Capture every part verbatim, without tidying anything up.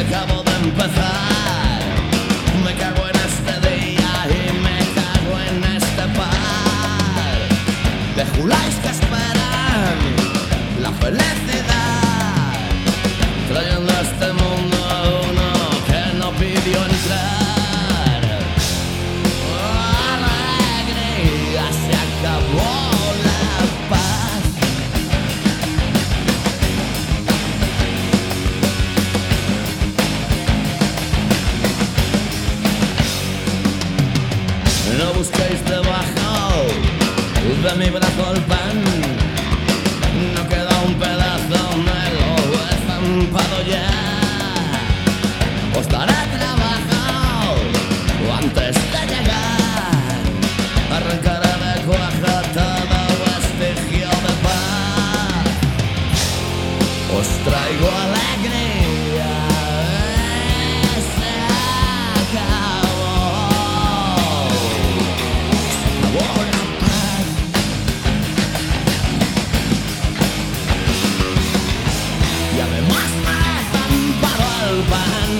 acabo de empezar. Me cago en este día y me cago en este par de juláis que esperan la felicidad, trayendo a este mundo a uno que no pidió entrar. Alegría, se acabó la paz. No busquéis debajo de mi brazo el pan, no queda un pedazo, me lo he estampado ya. Os daré trabajo antes de llegar, arrancaré de cuaja todo vestigio de paz. Os traigo alegría, se acabó. Y además me estampado el pan.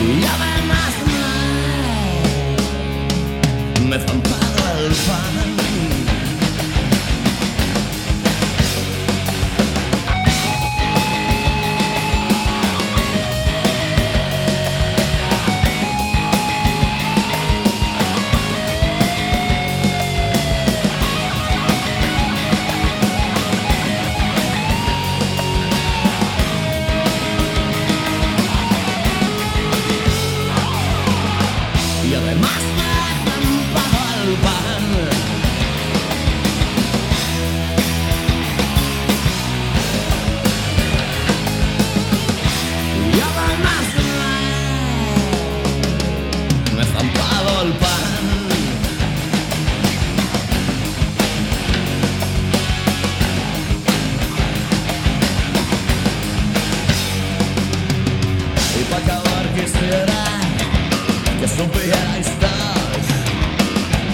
Y además me, me estampado el pan. Y además me he estampado el pan. Y además me, me he estampado el pan. Y para acabar quisiera que supierais todos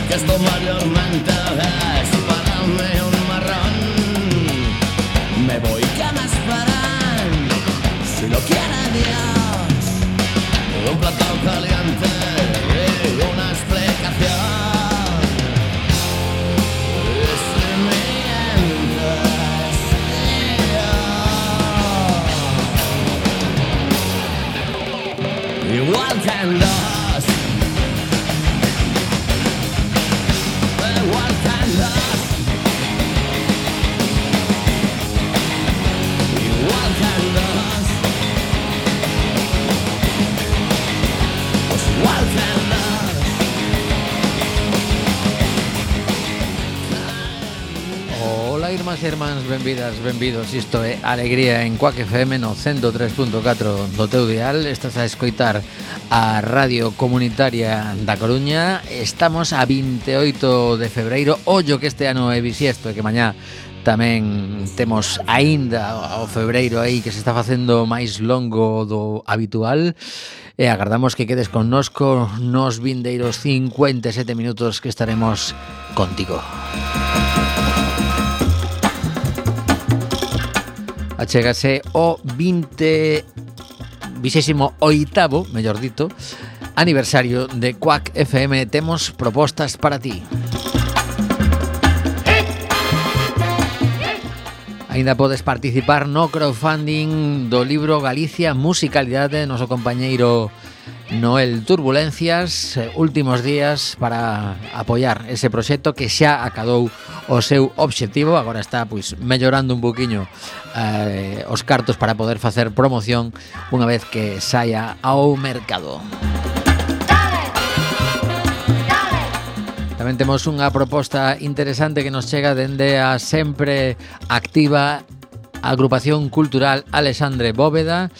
que esto mayormente es para mí un marrón. Me voy, que me esperan, si lo quiere Dios, un plato caliente y una explicación. Y si mientras yo igual que en los igual que en los igual que en los pues igual que en los. Ola, irmás e irmáns, benvidas, benvidos. Isto é Alegría en Quack F M no cento tres punto catro do teu dial. Estás a escoitar a Radio Comunitaria da Coruña. Estamos a veintioito de febreiro. Ollo que este ano é bisiesto e que mañá tamén temos aínda o febreiro aí que se está facendo máis longo do habitual. E agardamos que quedes connosco nos vindeiros cincuenta e sete minutos que estaremos contigo. Achégase o vinte vigésimo oitavo, mellor dito, aniversario de Quack F M. Temos propostas para ti. Ainda podes participar no crowdfunding do libro Galicia Musicalidade, noso compañeiro Noel Turbulencias, últimos días para apoiar ese proxecto que xa acadou o seu obxectivo. Agora está pois mellorando un poquinho eh, os cartos para poder facer promoción unha vez que saia ao mercado. Tamén temos unha proposta interesante que nos chega dende a sempre activa Agrupación Cultural Alexandre Bóveda.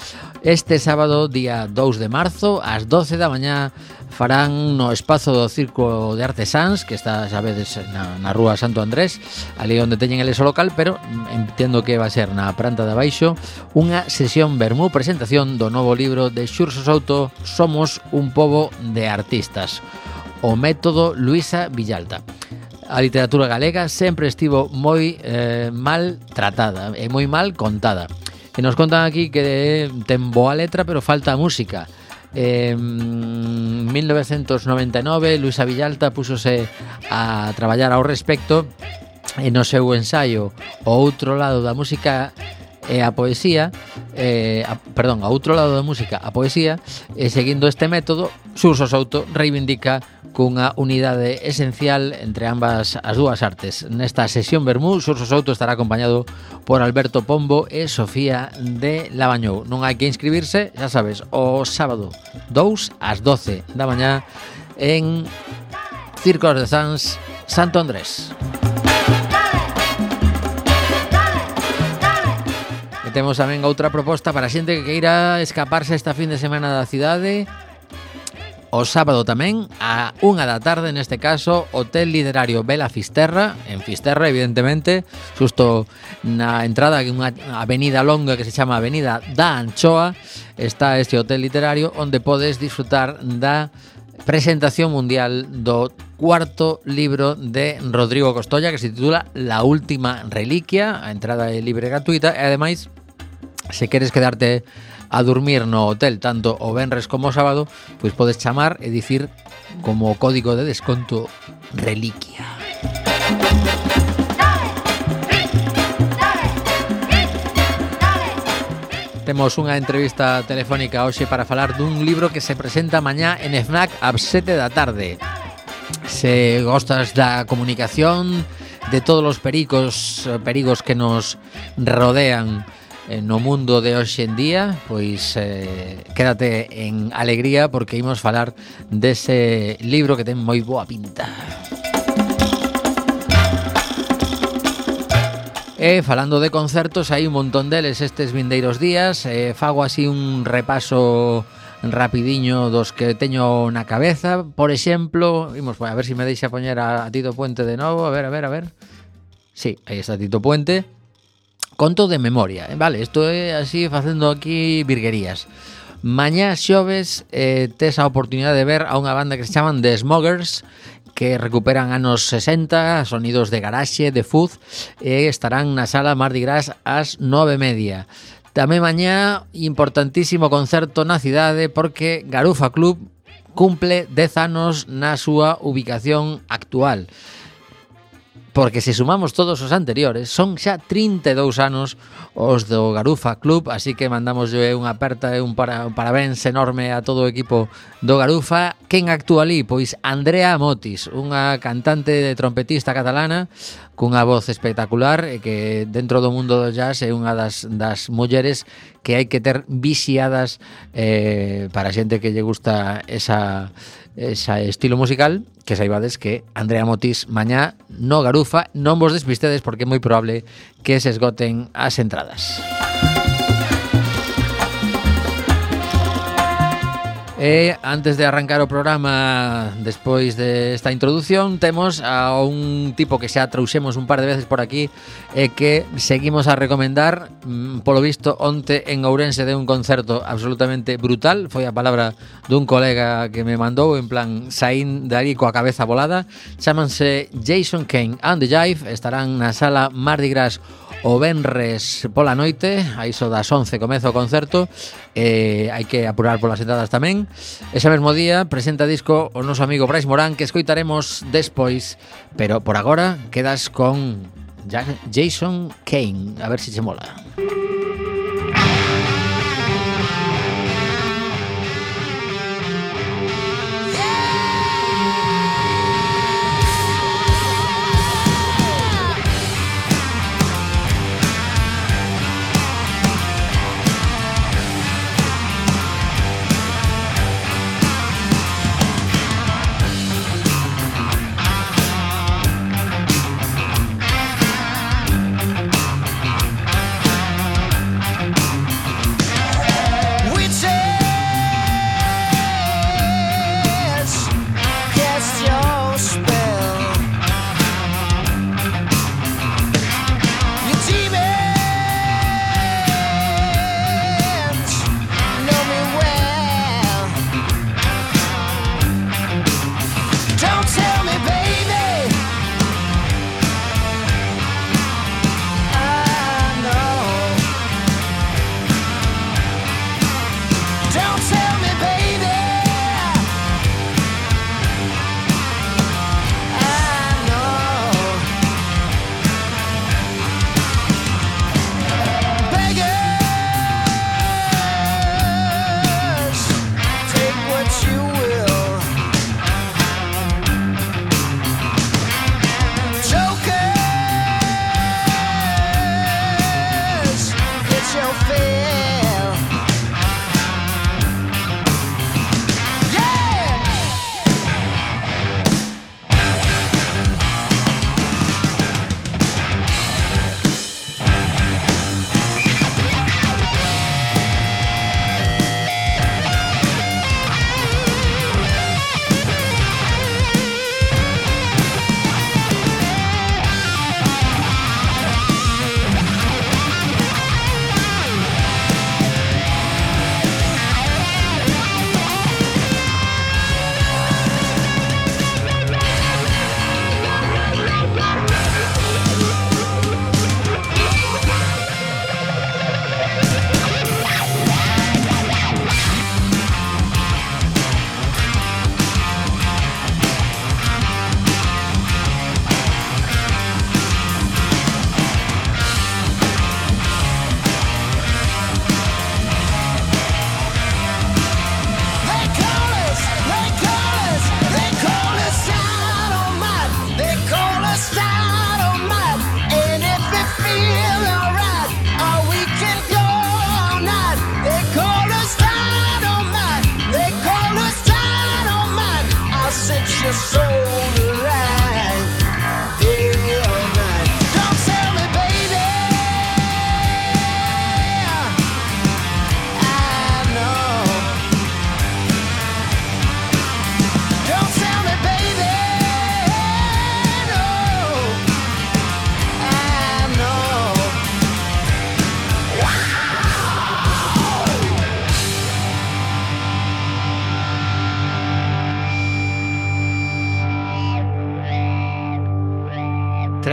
Este sábado, día dous de marzo, ás doce da mañá, farán no espazo do Circo de Artesáns, que está, sabedes, na, na rúa Santo Andrés, ali onde teñen eles o local, pero entendo que vai ser na planta de abaixo, unha sesión vermú presentación do novo libro de Xurxo Souto, Somos un pobo de artistas, o método Luisa Villalta. a literatura galega sempre estivo moi eh, mal tratada e moi mal contada. E nos contan aquí que ten boa letra, pero falta música. En mil novecentos noventa e nove, Luisa Villalta púxose a traballar ao respecto e no seu ensaio O outro lado da música e a poesía, eh, a, perdón, a outro lado da música, a poesía, e seguindo este método, Xurxo Souto reivindica cunha unidade esencial entre ambas as dúas artes. Nesta sesión Bermú, Xurxo Souto estará acompañado por Alberto Pombo e Sofía de Labañou. Non hai que inscribirse, xa sabes, o sábado dous ás doce da mañá en Circos de Sans, Santo Andrés. E temos tamén outra proposta para a xente que queira escaparse esta fin de semana da cidade. O sábado tamén, a unha da tarde, neste caso, Hotel Literario Vela Fisterra, en Fisterra, evidentemente, xusto na entrada de unha avenida longa que se chama Avenida da Anchoa, está este hotel literario onde podes disfrutar da presentación mundial do cuarto libro de Rodrigo Costolla, que se titula La última reliquia. A entrada é libre e gratuita e ademais, se queres quedarte a dormir no hotel tanto o venres como o sábado, pois podes chamar e dicir como código de desconto reliquia. Temos unha entrevista telefónica hoxe para falar dun libro que se presenta mañá en FNAC ás sete da tarde. Se gostas da comunicación, de todos os perigos, perigos que nos rodean no mundo de hoxe en día, pois eh, quédate en alegría porque imos falar dese libro que ten moi boa pinta. E falando de concertos, hai un montón deles estes vindeiros días. eh, Fago así un repaso rapidiño dos que teño na cabeza. Por exemplo, imos, a ver se si me deixa poñer a, a Tito Puente de novo. A ver, a ver, a ver. Sí, aí está Tito Puente. Conto de memoria, eh? Vale, isto é así facendo aquí virguerías. Mañá xoves eh, tes a oportunidade de ver a unha banda que se chaman The Smokers, que recuperan anos sesenta, sonidos de garaxe, de fuzz, e estarán na sala Mardi Gras ás nove e media. Tamén mañá, importantísimo concerto na cidade, porque Garufa Club cumple dez anos na súa ubicación actual. Porque se sumamos todos os anteriores, son xa trinta e dous anos os do Garufa Club, así que mandamos unha aperta e un, para, un parabéns enorme a todo o equipo do Garufa. Quen actúa ali? Pois Andrea Motis, unha cantante de trompetista catalana cunha voz espectacular e que dentro do mundo do jazz é unha das, das mulleres que hai que ter vixiadas eh, para a xente que lle gusta esa... ese estilo musical, que saibades que Andrea Motis mañá no Garufa. Non vos despistedes porque é moi probable que se esgoten as entradas. E antes de arrancar o programa, despois desta introducción, temos a un tipo que xa trouxemos un par de veces por aquí e que seguimos a recomendar. Polo visto, onte en Ourense de un concerto absolutamente brutal. Foi a palabra dun colega que me mandou, en plan, saín de ali coa cabeza volada. Chámanse Jason Kane and the Jive. Estarán na sala Mardi Gras o venres pola noite, a iso das once comeza o concerto. eh, hai que apurar polas entradas tamén. Ese mesmo día presenta disco o noso amigo Brais Morán, que escoitaremos despois, pero por agora quedas con Jason Kane, a ver se che mola.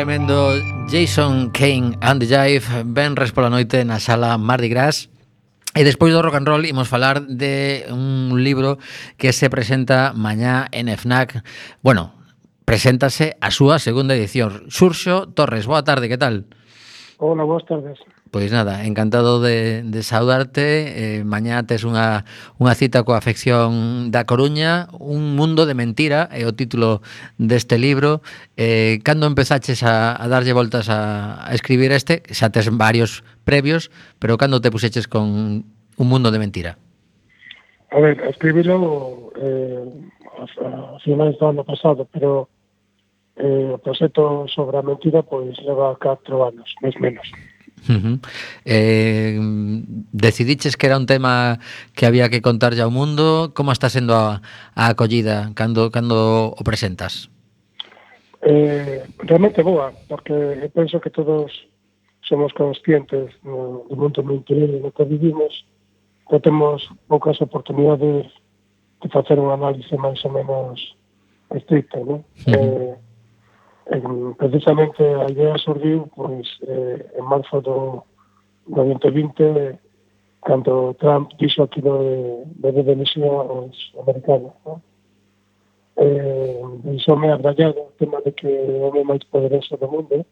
tremendo Jason Kane and the Jive, venres pola noite na sala Mardi Gras. E despois do rock and roll imos falar de un libro que se presenta mañá en FNAC. Bueno, preséntase a súa segunda edición. Xurxo Torres, boa tarde, que tal? Hola, boas tardes. Pois nada, encantado de, de saudarte. Eh, mañá tes unha, unha cita coa afección da Coruña, Un mundo de mentira, é o título deste libro. Eh, cando empezaches a, a darlle voltas a, a escribir este, xa tes varios previos, pero cando te puxeches con Un mundo de mentira? A ver, escribilo eh, a, a finais do ano pasado, pero eh, o proxecto sobre a mentira pois leva catro anos, máis menos. Uh-huh. Eh, decidiches que era un tema que había que contarlle ao mundo. Como está sendo a, a acollida cando, cando o presentas? Eh, realmente boa, porque eu penso que todos somos conscientes no, do mundo mentiroso no que vivimos, que temos poucas oportunidades de facer un análise máis ou menos estricto, ¿no? Uh-huh. eh, En, precisamente a idea surgiu pois, eh, en marzo do, do vinte vinte, cando Trump dixo aquilo de, de demisión aos americanos, ¿no? Eh, deixoume abrallado o tema de que o home máis poderoso do mundo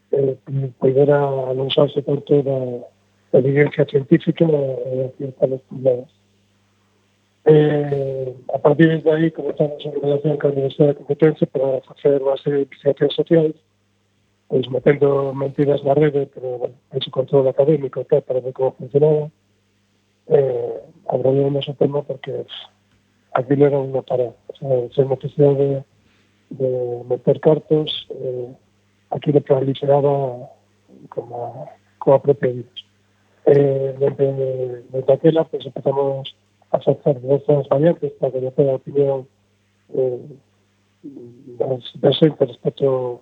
eh, poidera anunciarse por toda a evidencia científica e a ciertas problemas. Eh, a partir de aí comenzamos a relación con a Universidade de Competencia para facer unha serie de investigacións sociais, pois metendo mentiras na rede, pero bueno, hecho control académico tal, para ver como funcionaba. Eh, abrimos o tema porque aquilo era unha parada, o sea, sen necesidade de, de meter cartos, eh, aquilo proliferaba como, como a propia vida. Eh, desde, desde aquela, pues empezamos a facer diversas variantes para conocer a opinión eh, das presentes respecto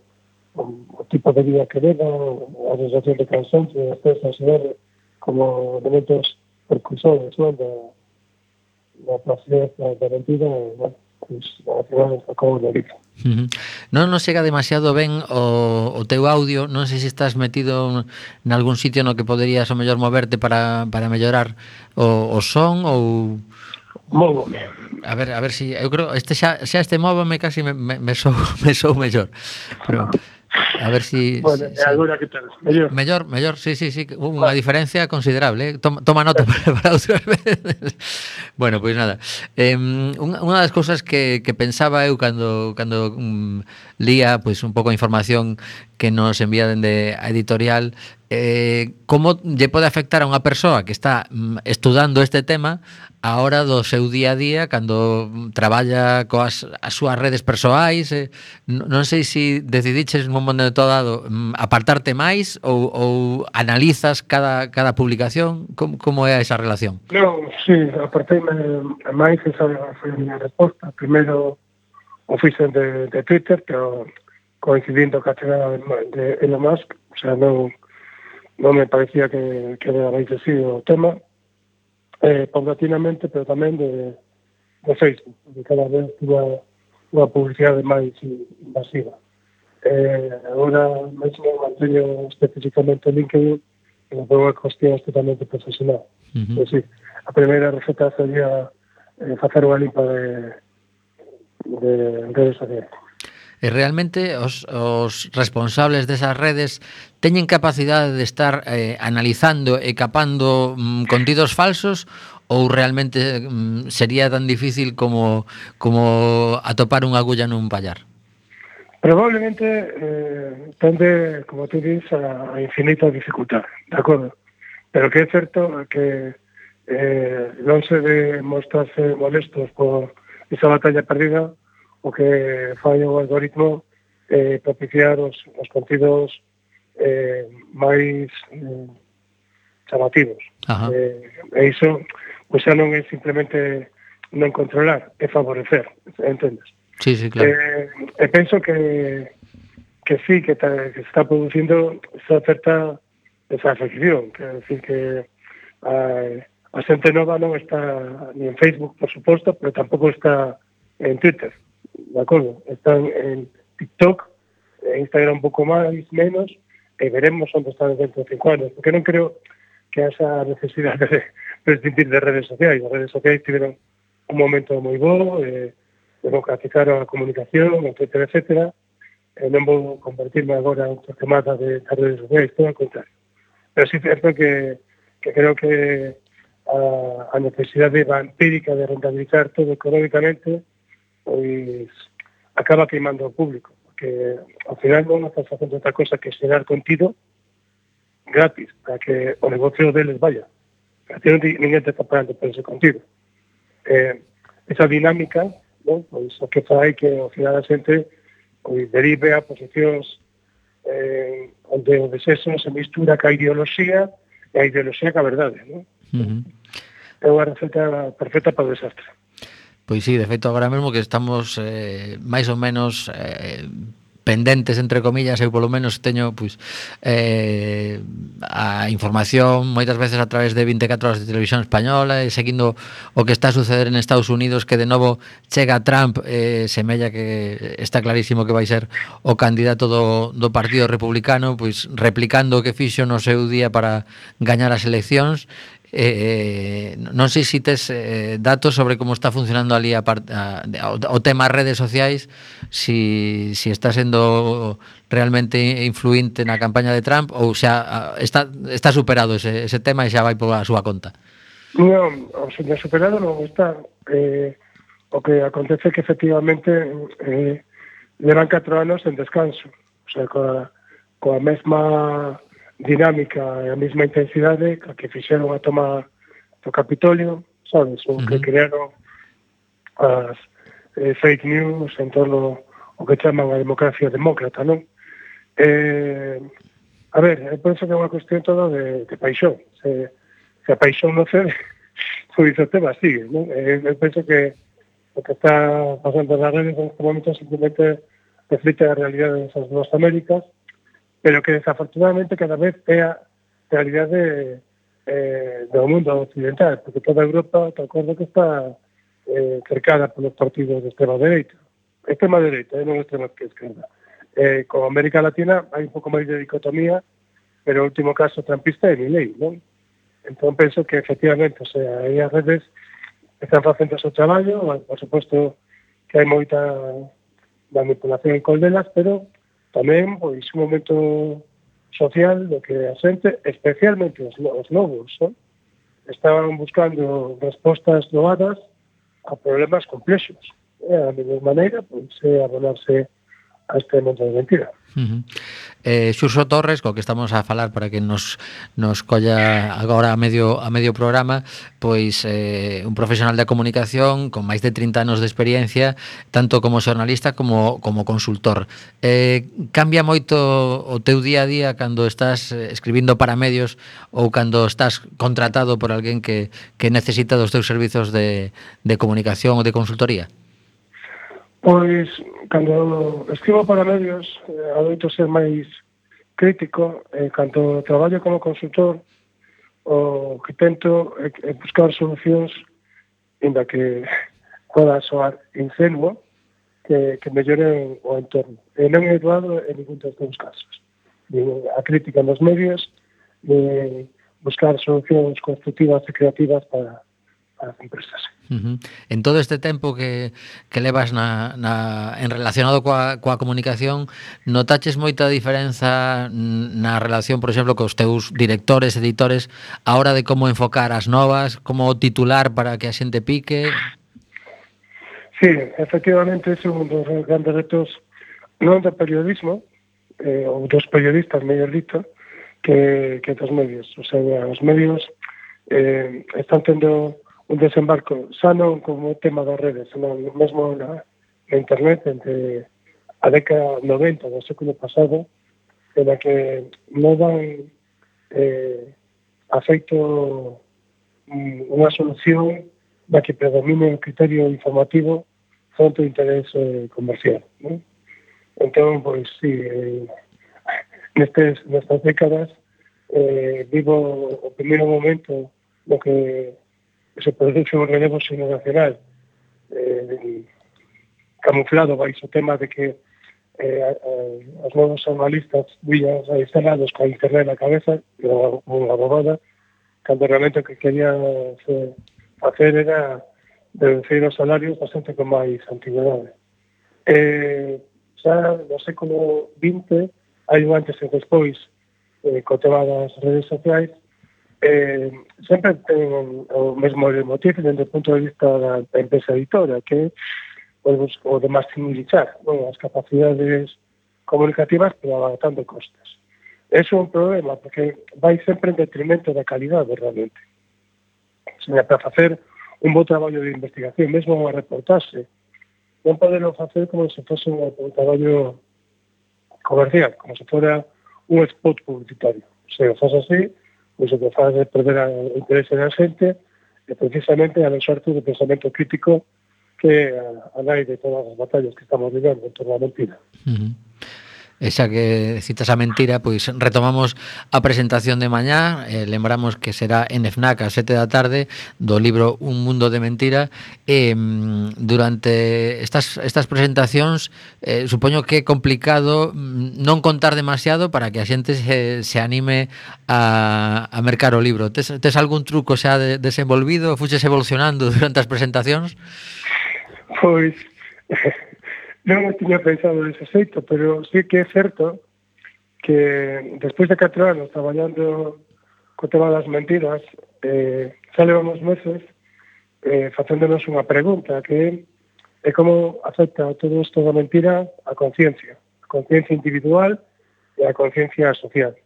ao, ao tipo de vida que leva, a sensación de cansancio, de estrés, ansiedade, como elementos precursores, ¿no?, da, da placer, da, da mentira, e, bueno, pues, ao final acabo de vida. Uh-huh. Non nos chega demasiado ben o, o teu audio. Non sei se estás metido en algún sitio no que poderías o mellor moverte para, para mellorar o, o son ou... Movo. A ver, a ver si eu creo este xa, xa este móvame casi me, me, me sou me sou mellor. Pero a ver si bueno, si, agora que tal? Mellor. Mellor, mellor, sí, sí, sí, unha diferencia considerable, eh? Toma, toma nota para, para outras veces. Bueno, pois pues nada. Eh, unha, unha das cousas que, que pensaba eu cando cando um, lía pois pues, un pouco a información que nos envía dende a editorial, eh, como lle pode afectar a unha persoa que está um, estudando este tema a hora do seu día a día, cando traballa coas as súas redes persoais. Eh, non sei se decidiches nun momento dado um, apartarte máis ou, ou analizas cada, cada publicación. Como, como é esa relación? Non, sí, aparteime máis, esa foi a miña resposta. Primeiro o fixen de, de Twitter, pero coincidindo ca chegada de, de Elon Musk, o sea, non, non me parecía que, que era máis así o tema. Eh, paulatinamente, pero tamén de, de Facebook, porque cada vez tuva unha publicidade máis invasiva. Eh, agora, mesmo manteño especificamente o LinkedIn, que foi unha cuestión totalmente profesional. Uh-huh. Sí, a primeira receta sería eh, facer unha limpa de, de redes sociais. E realmente os, os responsables desas redes teñen capacidade de estar eh, analizando e capando mm, contidos falsos, ou realmente mm, sería tan difícil como, como atopar unha agulla nun pallar? Probablemente eh, tende, como tú dices, a, a infinita dificultad, de acordo? Pero que é certo que eh, non se de mostrarse molestos por esa batalla perdida, o que fai o algoritmo eh, propiciar os, os contidos eh, máis eh, chamativos. Eh, e iso, pois xa non é simplemente non controlar, é favorecer, entendes? Sí, sí, claro. Eh, e penso que que sí, que, ta, que se está producindo esa certa desafección, que é decir que a, a xente nova non está ni en Facebook, por suposto, pero tampouco está en Twitter. De acordo, están en TikTok Instagram un pouco máis, menos, e veremos onde está dentro de cinco anos, porque non creo que esa necesidade de prescindir de redes sociais. As redes sociais tiveron un momento moi bo, eh, democratizaron a comunicación, etcétera, etcétera, e non vou convertirme agora en torquemada de das redes sociais, todo ao contrario. Pero sí é certo que, que creo que a, a necesidade vampírica de rentabilizar todo económicamente pois acaba queimando ao público, porque ao final non estás facendo outra cosa que xerar contido gratis, para que o negocio deles vaya. A ti ninguén te está pagando por ese contido. Eh, esa dinámica, non? Pois o que fai que ao final a xente pois derive a posicións eh, onde o desexo se mistura ca ideoloxía e a ideoloxía ca verdade, non? Uh-huh. É unha receta perfecta para o desastre. Pois sí, de feito agora mesmo que estamos eh, máis ou menos eh, pendentes, entre comillas, eu polo menos teño pois, eh, a información moitas veces a través de vinte e catro horas de televisión española e seguindo o que está a suceder en Estados Unidos, que de novo chega Trump, eh, semella que está clarísimo que vai ser o candidato do, do Partido Republicano, pois replicando o que fixo no seu día para gañar as eleccións. Eh, non sei se tes eh, datos sobre como está funcionando ali a part, a, a, o tema redes sociais, si, si está sendo realmente influinte na campaña de Trump ou xa está, está superado ese, ese tema e xa vai pola súa conta. Non, o señor superado non está. Eh, o que acontece é que efectivamente eh, levan catro anos en descanso, o sea, coa, coa mesma dinámica e a mesma intensidade que fixeron a toma do Capitolio, sabes, o que uh-huh. crearon as eh, fake news en torno ao que chaman a democracia demócrata, non? Eh, a ver, eu penso que é unha cuestión toda de, de paixón. Se, se a paixón non cede, pois o tema sigue, non? Eh, eu penso que o que está pasando nas redes en este momento simplemente reflite a realidade desas dúas Américas, pero que desafortunadamente cada vez é a realidade eh, do mundo occidental, porque toda Europa, te acordo que está eh, cercada polos partidos de extrema dereita. Extrema dereita, eh, non extrema esquerda. Eh, con América Latina hai un pouco máis de dicotomía, pero o último caso trampista é Milei, non? Entón penso que efectivamente, o sea, aí as redes están facendo o seu traballo, por suposto que hai moita manipulación en coldelas, pero tamén pois un momento social do que a xente, especialmente os, os novos, ¿no? Estaban buscando respostas doadas a problemas complexos. E a mellor maneira pois é abonarse a este mundo de mentira. Uh-huh. eh, Xurxo Torres, co que estamos a falar para que nos, nos colla agora a medio, a medio programa, pois eh, un profesional da comunicación con máis de trinta anos de experiencia, tanto como xornalista como, como consultor. Eh, cambia moito o teu día a día cando estás escribindo para medios ou cando estás contratado por alguén que, que necesita dos teus servizos de, de comunicación ou de consultoría? Pois, cando escribo para medios, eh, adoito ser máis crítico, eh, cando traballo como consultor, o que tento é, é buscar solucións inda que poda soar ingenuo, que, que melloren o entorno. E non é doado en ningún dos dous casos. A crítica nos medios, de buscar solucións constructivas e creativas para as empresas. Uh-huh. En todo este tempo que, que levas na, na, en relacionado coa, coa comunicación, notaches moita diferenza na relación, por exemplo, cos teus directores, editores, a hora de como enfocar as novas, como titular para que a xente pique? Sí, efectivamente, ese é un dos grandes retos non do periodismo, eh, ou dos periodistas, mellor dito, que, que dos medios. O sea, os medios eh, están tendo un desembarco xa non como tema das redes, senón mesmo na, na internet entre a década noventa do século pasado, en la que non dan eh, afeito unha solución da que predomine o criterio informativo fronte ao interés eh, comercial, ¿no? Entón, pois, sí, eh, nestes, nestas décadas eh, vivo o primeiro momento no que se produce un relevo xeneracional eh, camuflado baixo o tema de que eh, eh, os novos analistas vías instalados coa internet na cabeza, era unha bobada, cando realmente o que querían eh, facer era reducir os salarios da xente con máis antigüedade. Eh, xa no século vinte hai un antes e despois eh, co tema das redes sociais, eh, sempre ten o mesmo motivo dentro do punto de vista da empresa editora, que pues, o de maximizar bueno, as capacidades comunicativas pero abaratando costes. Eso é un problema porque vai sempre en detrimento da calidade realmente. Seña, para facer un bo traballo de investigación, mesmo unha reportaxe, non poderlo facer como se fose un, un traballo comercial, como se fora un spot publicitario. Se o faz así, pois o que faz é perder o interese da xente e precisamente a sorte do pensamento crítico que a, a nai de todas as batallas que estamos vivendo en torno a mentira. Uh-huh. Esa que citas a mentira, pois retomamos a presentación de mañá, eh, lembramos que será en FNAC a sete da tarde do libro Un mundo de mentira, e eh, durante estas, estas presentacións eh, supoño que é complicado non contar demasiado para que a xente se, se anime a, a mercar o libro. Tes, tes algún truco xa de, desenvolvido? Fuches evolucionando durante as presentacións? Pois non o tiña pensado dese xeito, pero sí que é certo que despois de catro anos traballando co tema das mentiras, eh, xa levamos meses eh, facéndonos unha pregunta que é como afecta todo isto da mentira a conciencia, a conciencia individual e a conciencia social.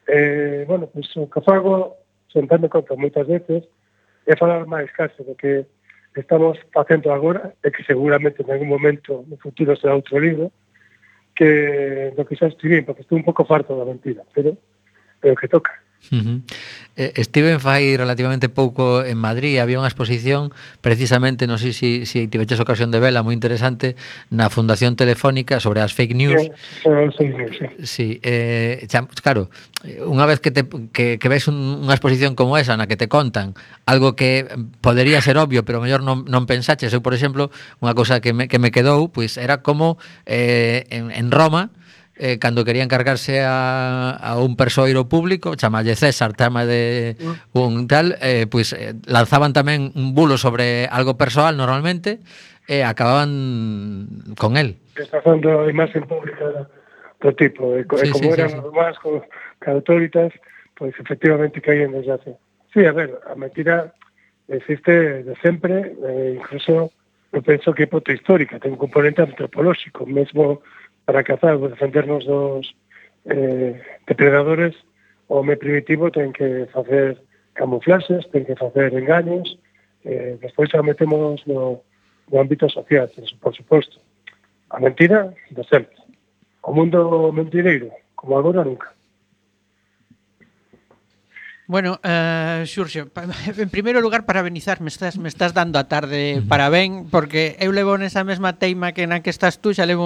Eh, bueno, pois o que fago, sentando conta moitas veces, é falar máis case do que estamos facendo agora, e que seguramente en algún momento no futuro será outro libro, que do que xa escribín, porque estou un pouco farto da mentira, pero é o que toca. Uh-huh. Eh, Estiven fai relativamente pouco en Madrid, había unha exposición precisamente, non sei se si, si tiveches ocasión de vela, moi interesante, na Fundación Telefónica sobre as fake news. Sí, sí, sí. Sí, eh, xa, claro, unha vez que, te, que, que ves un, unha exposición como esa na que te contan algo que podería ser obvio, pero mellor non, non pensaches. Eu, por exemplo, unha cousa que me, que me quedou, pois era como eh, en, en Roma, Eh, cando querían cargarse a, a un persoeiro público, chamalle César, chama de un tal, eh, pois eh, lanzaban tamén un bulo sobre algo persoal normalmente e eh, acababan con el. Está facendo a imaxe pública do tipo, e, sí, como sí, eran sí, os más con autoritas, pois efectivamente caían desgracia. Sí, a ver, a mentira existe de sempre, eh, incluso eu penso que é poto histórica, ten un componente antropolóxico, mesmo para cazar ou defendernos dos eh, depredadores, o home primitivo ten que facer camuflaxes, ten que facer engaños, eh, despois xa metemos no, no ámbito social, por suposto. A mentira, de sempre. O mundo mentireiro, como agora, nunca. Bueno, uh, Xurxo, en primeiro lugar parabenizar, me estás, me estás dando a tarde parabén, porque eu levo nesa mesma teima que na que estás tú, xa levo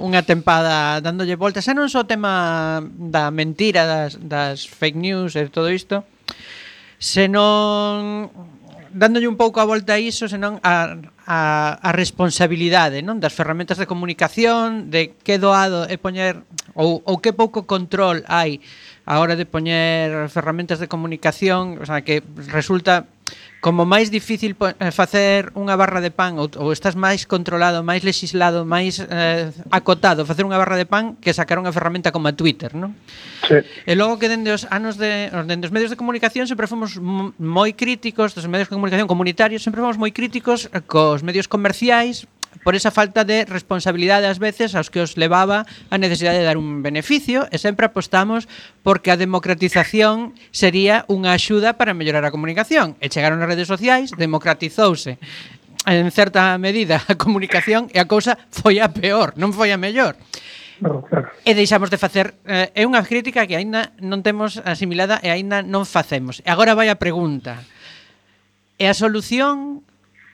unha tempada dándolle voltas, xa non só o tema da mentira, das, das fake news e todo isto, senón dándolle un pouco a volta a iso, senón a, a, a responsabilidade, non, das ferramentas de comunicación, de que doado é poñer, ou, ou que pouco control hai a hora de poñer ferramentas de comunicación, o sea, que resulta como máis difícil facer unha barra de pan, ou, ou estás máis controlado, máis legislado, máis eh, acotado facer unha barra de pan que sacar unha ferramenta como a Twitter, non? Sí. E logo que dende os anos de dende os medios de comunicación sempre fomos moi críticos, dos medios de comunicación comunitarios, sempre fomos moi críticos cos medios comerciais por esa falta de responsabilidade ás veces aos que os levaba a necesidade de dar un beneficio, e sempre apostamos porque a democratización sería unha axuda para mellorar a comunicación, e chegaron as redes sociais, democratizouse en certa medida a comunicación e a cousa foi a peor, non foi a mellor. No, claro. E deixamos de facer, eh, é unha crítica que aínda non temos asimilada e aínda non facemos. E agora vai a pregunta. E a solución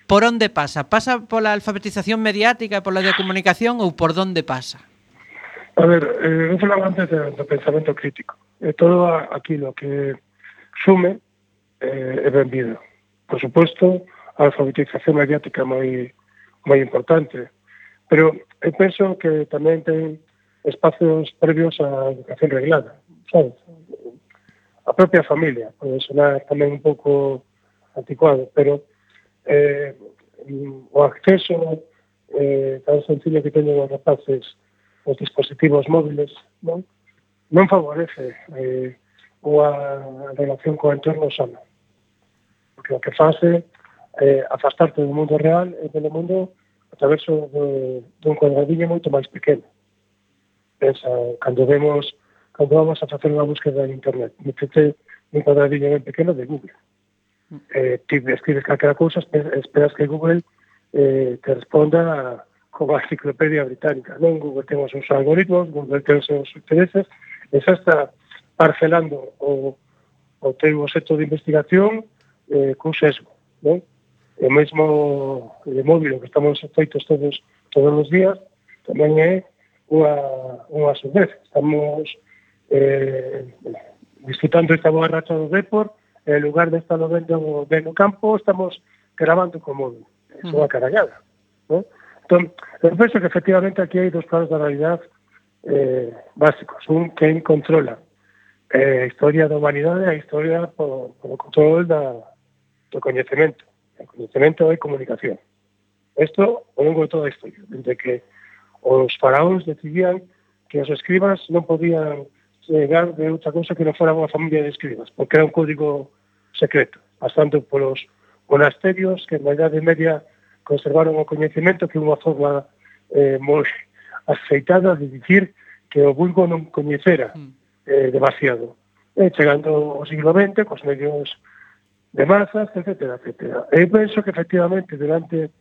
por onde pasa? Pasa pola alfabetización mediática, pola de comunicación, ou por onde pasa? A ver, eh, eu falaba antes do, do pensamento crítico. E todo aquilo que sume eh, é benvido. Por suposto, a alfabetización mediática é moi, moi importante. Pero eu penso que tamén ten espacios previos á educación reglada, sabes? A propia familia, pode sonar tamén un pouco anticuado, pero eh, o acceso eh, tan sencillo que teñen os rapaces os dispositivos móviles, non, non favorece eh, unha relación co entorno sana. Porque o que fase eh, afastarte do mundo real e do mundo a través de, de un cuadradiño moito máis pequeno. Pensa, cando vemos cando vamos a facer unha búsqueda en internet, metete un cuadradiño ben pequeno de Google. Eh, ti escribes calquera cousa, esperas que Google eh, te responda como a enciclopedia británica. Non, Google ten os seus algoritmos, Google ten os seus intereses, e xa está parcelando o, o teu obxecto de investigación eh, cun sesgo, non? O mesmo de móvil que estamos feitos todos todos os días tamén é unha, unha surdez. Estamos eh, disfrutando esta boa racha do Depor, en lugar de estar vendo ben no campo, estamos grabando co móvil. É unha carallada, non? Entón, eu penso que efectivamente aquí hai dos planos da realidade eh, básicos. Un, quen controla eh, a historia da humanidade e a historia por, por o control da, do coñecemento. O coñecemento é comunicación. Isto ao longo de toda a historia, desde que os faraóns decidían que os escribas non podían llegar de outra cousa que non fora unha familia de escribas, porque era un código secreto, pasando polos monasterios que na Idade Media conservaron o coñecemento, que é unha forma eh, moi aceitada de dicir que o vulgo non coñecera eh, demasiado. E chegando ao siglo vinte, cos medios de masas, etcétera, etcétera. Eu penso que efectivamente durante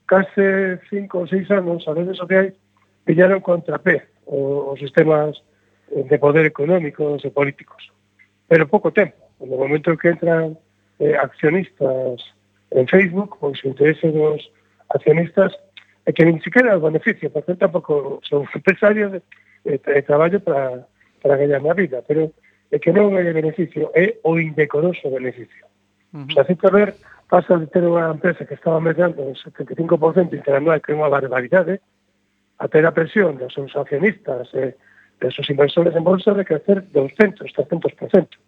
case cinco ou seis anos as redes sociais pillaron contrapé os sistemas de poder económicos e políticos. Pero pouco tempo. No momento que entran eh, accionistas en Facebook, pois o interese dos accionistas é que nin siquiera o beneficio, porque tampouco son empresarios de, de, de traballo para, para ganhar na vida, pero é que non é beneficio, é o indecoroso beneficio. Uh-huh. O sea, así que ver, pasa de ter unha empresa que estaba medando un setenta e cinco por cento interanual, que é unha barbaridade, a ter a presión dos seus accionistas e dos seus inversores en bolsa de crecer doscientos, trescentos por ciento.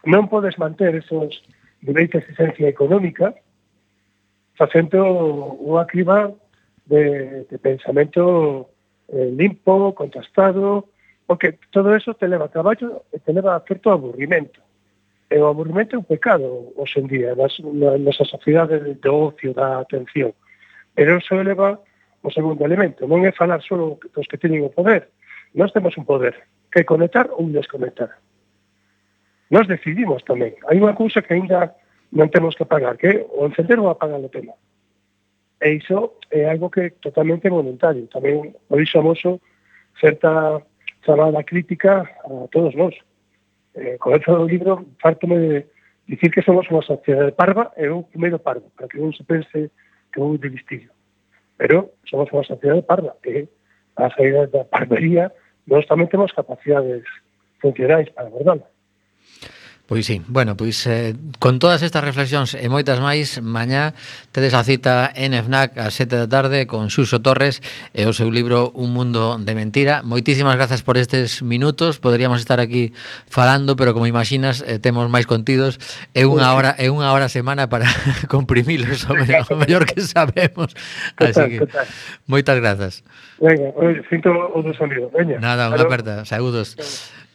Non podes manter esos niveis de exigencia económica facendo unha criba de, de pensamento eh, limpo, contrastado, porque todo eso te leva a traballo e te leva a certo aburrimento. E o aburrimento é un pecado hoxe en día nas, nas sociedades do ocio, da atención. Pero eso eleva o segundo elemento. Non é falar só dos que teñen o poder. Nós temos un poder que é conectar ou desconectar. Nós decidimos tamén. Hai unha cousa que ainda non temos que pagar, que é o encender ou apagar o tema. E iso é algo que é totalmente voluntario. Tamén por iso amoso certa chamada crítica a todos nós. Eh, con esto do libro, fártome de dicir que somos unha sociedade parva e un primeiro parvo, para que non se pense que vou de listillo. Pero somos unha sociedade parva, que a saída da parvería nós tamén temos capacidades funcionais para abordala. Pois sí, bueno, pois eh, con todas estas reflexións e moitas máis, mañá tedes a cita en FNAC ás sete da tarde con Xuxo Torres e o seu libro Un mundo de mentira. Moitísimas grazas por estes minutos, poderíamos estar aquí falando, pero como imaginas, eh, temos máis contidos, é unha hora é unha hora a semana para comprimilos o mellor, o mellor que sabemos. Así que moitas grazas. Venga, sinto o do sonido. Veña. Nada, unha aperta, saúdos.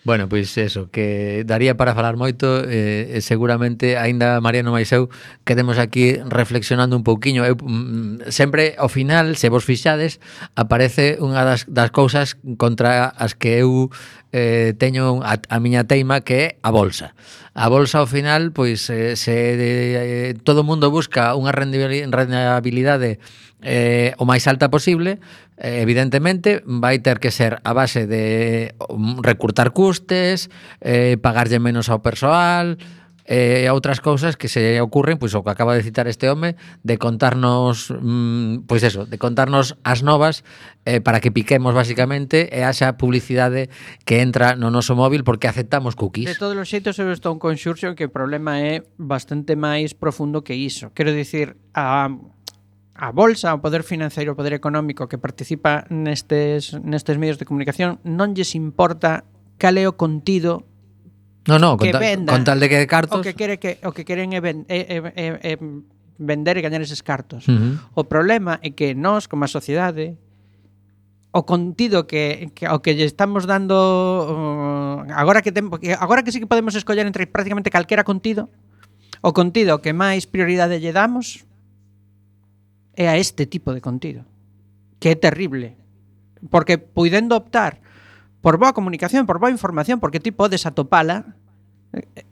Bueno, pois eso, que daría para falar moito, eh, seguramente aínda Mariano máis eu quedemos aquí reflexionando un pouquiño. Eu, mm, sempre ao final, se vos fixades, aparece unha das, das cousas contra as que eu eh, teño a, a miña teima, que é a bolsa. A bolsa ao final, pois eh, se eh, todo o mundo busca unha rentabilidade eh, o máis alta posible, eh, evidentemente vai ter que ser a base de recurtar custes, eh, pagarlle menos ao persoal e eh, outras cousas que se ocurren, pois o que acaba de citar este home, de contarnos mm, pois eso, de contarnos as novas eh, para que piquemos basicamente e haxa publicidade que entra no noso móvil porque aceptamos cookies. De todos os xeitos eu estou en conxurxo que o problema é bastante máis profundo que iso. Quero dicir, a a bolsa, o poder financeiro, o poder económico que participa nestes, nestes medios de comunicación non lles importa cal é o contido No, no, con, que ta, venda, con tal de que cartos. o que quere que o que queren é, ben, é, é, é, é vender e gañar eses cartos. Uh-huh. O problema é que nós, como a sociedade, o contido que, que o que lle estamos dando uh, agora que tem, agora que sí que podemos escoller entre prácticamente calquera contido, o contido que máis prioridade lle damos é a este tipo de contido, que é terrible, porque puidendo optar por boa comunicación, por boa información, porque ti podes atopala,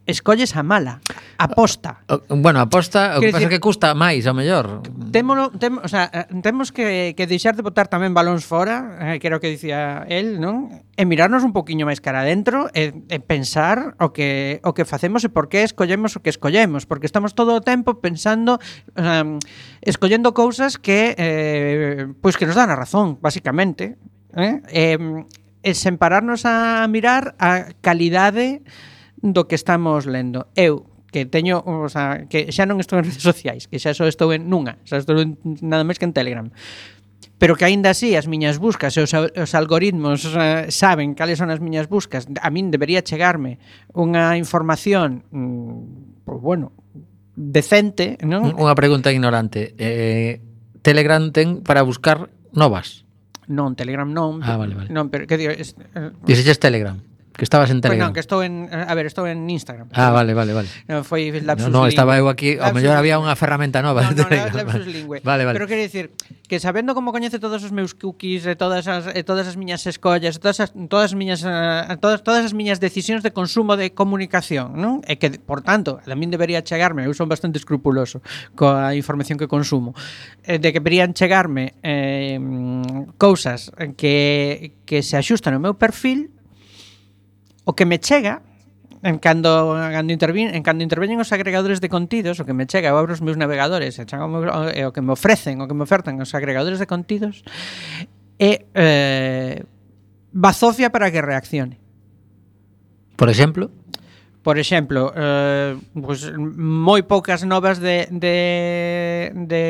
escolles a mala, aposta. Bueno, aposta, o que Quer pasa decir, que custa máis, ao mellor. Témolo, tem, o sea, temos que, que deixar de botar tamén balóns fora, eh, que era o que dicía el, non? E mirarnos un poquinho máis cara adentro e, e pensar o que o que facemos e por que escollemos o que escollemos, porque estamos todo o tempo pensando, um, escollendo cousas que eh, pois que nos dan a razón, basicamente, eh? E, e sen pararnos a mirar a calidade do que estamos lendo. Eu que teño, o sea, que xa non estou en redes sociais, que xa só estou en nunha, xa estou en, nada máis que en Telegram. Pero que aínda así as miñas buscas e os, os algoritmos uh, saben cales son as miñas buscas. A min debería chegarme unha información, mm, pues bueno, decente, non? Unha pregunta ignorante. Eh, Telegram ten para buscar novas? Non, Telegram non. Ah, vale, vale. Non, pero que digo, es, uh, Dixeches Telegram? Que estabas en Pues Telegram. non, que estou en, a ver, estou en Instagram. Ah, vale, vale, vale. Non, foi lapsus No, no, lingüe. estaba eu aquí, ao Lapsus mellor había lingüe. unha ferramenta nova. No, de no, Telegram. lapsus lingüe. Vale, vale. Pero quero dicir que sabendo como coñece todos os meus cookies e todas as e todas as miñas escollas, e todas as todas as miñas uh, todas todas as miñas decisións de consumo de comunicación, non? E que por tanto, a min debería chegarme, eu son bastante escrupuloso coa información que consumo. Eh, de que deberían chegarme eh, cousas que que se axustan ao meu perfil. O que me chega en cando cando intervin, en cando interveñen os agregadores de contidos, o que me chega, eu abro os meus navegadores, e chego meu, e o que me ofrecen, o que me ofertan os agregadores de contidos é eh, bazofia para que reaccione. Por exemplo? Por exemplo, eh, pues, moi poucas novas de, de, de,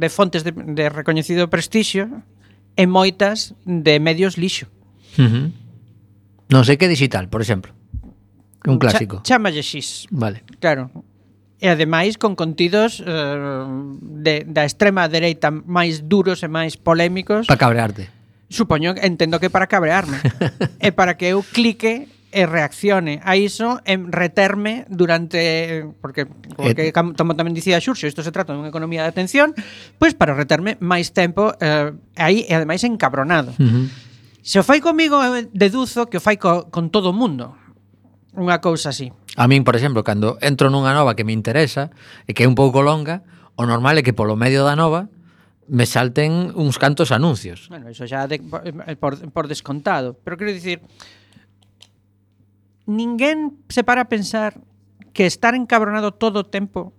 de fontes de, de recoñecido prestixio e moitas de medios lixo. Uh-huh. Non sei que digital, por exemplo. Un clásico. Ch- chámalle X. Vale. Claro. E ademais con contidos eh, de, da extrema dereita máis duros e máis polémicos. Para cabrearte. Supoño, entendo que para cabrearme. E para que eu clique e reaccione a iso en reterme durante, porque, porque como tamén dicía Xurxo, isto se trata dunha economía de atención, pois para reterme máis tempo eh, aí e ademais encabronado. Uh-huh. Se o fai comigo, eu deduzo que o fai co, con todo o mundo. Unha cousa así. A min, por exemplo, cando entro nunha nova que me interesa e que é un pouco longa, o normal é que polo medio da nova me salten uns cantos anuncios. Bueno, iso xa de, por, por descontado. Pero quero dicir, ninguén se para a pensar que estar encabronado todo o tempo,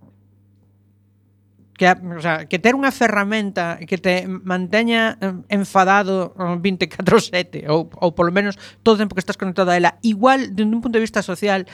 que, o sea, que ter unha ferramenta que te manteña enfadado vinte e catro sete ou, ou polo menos todo o tempo que estás conectado a ela, igual, dende un punto de vista social,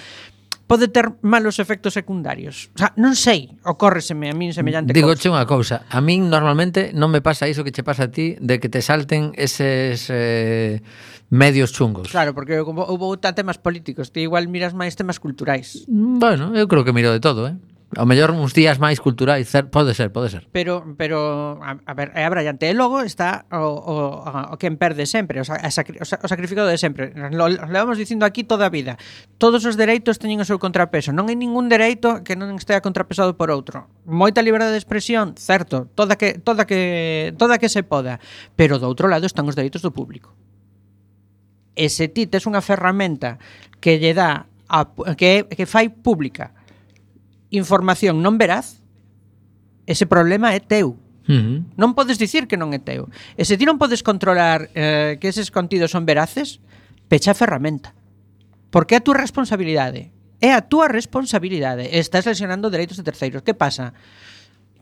pode ter malos efectos secundarios. O sea, non sei, ocórreseme a min semellante Digo cousa. che unha cousa, a min normalmente non me pasa iso que che pasa a ti de que te salten eses eh, medios chungos. Claro, porque como houve temas políticos, ti igual miras máis temas culturais. Bueno, eu creo que miro de todo, eh? Ao mellor uns días máis culturais, pode ser, pode ser. Pero, pero a, a ver, é abrallante. E logo está o, o, o quen perde sempre, o, a, sacri, o sacrificado de sempre. Lo, lo levamos dicindo aquí toda a vida. Todos os dereitos teñen o seu contrapeso. Non hai ningún dereito que non estea contrapesado por outro. Moita liberdade de expresión, certo, toda que toda que toda que se poda, pero do outro lado están os dereitos do público. E se ti tes unha ferramenta que lle dá a, que que fai pública información non veraz, ese problema é teu. Uh-huh. Non podes dicir que non é teu. E se ti non podes controlar eh, que eses contidos son veraces, pecha a ferramenta. Porque é a túa responsabilidade. É a túa responsabilidade. Estás lesionando dereitos de terceiros. Que pasa?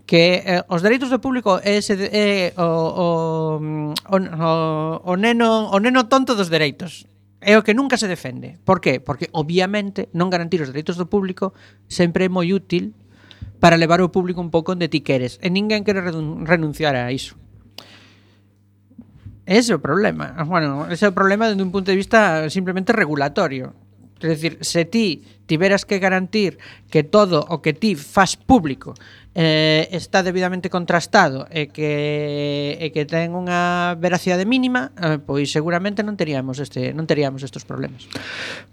Que eh, os dereitos do público é, ese, é o, o, o, o, o, neno, o neno tonto dos dereitos. É o que nunca se defende. Por qué? Porque, obviamente, non garantir os dereitos do público sempre é moi útil para levar o público un pouco onde ti queres. E ninguén quere renunciar a iso. Ese é o problema. Bueno, ese é o problema desde un punto de vista simplemente regulatorio. É dicir, se ti tiveras que garantir que todo o que ti faz público eh, está debidamente contrastado e que e que ten unha veracidade mínima, eh, pois seguramente non teríamos este non teríamos estes problemas.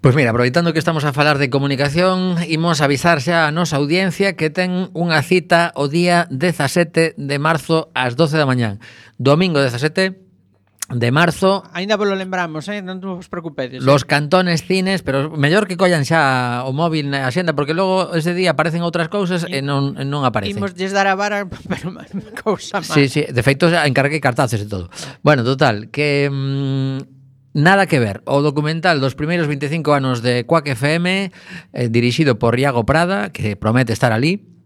Pois mira, aproveitando que estamos a falar de comunicación, imos avisar xa a nosa audiencia que ten unha cita o día dezasete de marzo ás doce da mañán. Domingo dezasete de marzo. Ainda vos lo lembramos, eh? Non vos preocupedes. Los eh? cantones cines, pero mellor que collan xa o móvil na axenda, porque logo ese día aparecen outras cousas e, e non, non aparecen. Imos lles dar a vara, pero cousa máis. Sí, sí, de feito encarguei cartaces e todo. Bueno, total, que mmm, nada que ver. O documental dos primeiros veinticinco anos de Quack F M, eh, dirixido por Iago Prada, que promete estar ali,